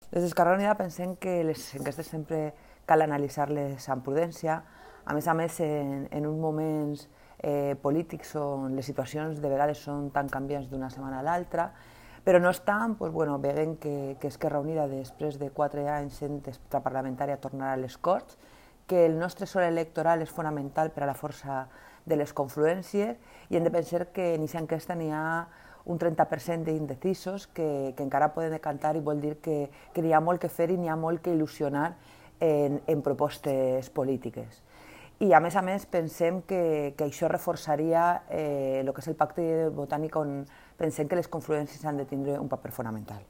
Des d'Esquerra Unida pensem que les enquestes sempre cal analitzar-les amb prudència, a més, en uns moments polítics on les situacions de vegades són tan canviants d'una setmana a l'altra, però no obstant, veiem que Esquerra Unida, després de 4 anys sent extraparlamentària, tornarà a les Corts, que el nostre sol electoral és fonamental per a la força de les confluències i hem de pensar que en aquesta enquesta n'hi ha un 30% d'indecisos que encara poden decantar i vol dir que n'hi ha molt que fer i n'hi ha molt que il·lusionar en propostes polítiques. I a més pensem que això reforçaria el que és el pacte botànic on pensem que les confluències han de tindre un paper fonamental.